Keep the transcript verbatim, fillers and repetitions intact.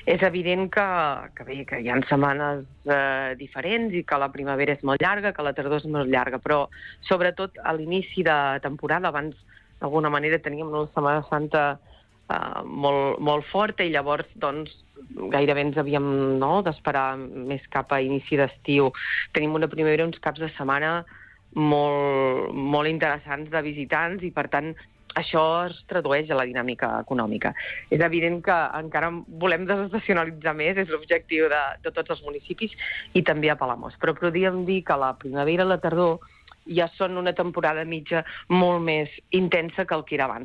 És evident que, que, bé, que hi ha setmanes eh, diferents i que la primavera és molt llarga, que la tardor és molt llarga, però sobretot a l'inici de temporada, abans d'alguna manera teníem una Setmana Santa eh, molt, molt forta i llavors doncs, gairebé ens havíem no, d'esperar més cap a inici d'estiu. Tenim una primavera, uns caps de setmana molt, molt interessants de visitants i, per tant, això es tradueix a la dinàmica econòmica. És evident que encara volem desestacionalitzar més, és l'objectiu de, de tots els municipis i també a Palamós. Però podríem dir que la primavera i la tardor ja són una temporada mitja molt més intensa que el que era abans.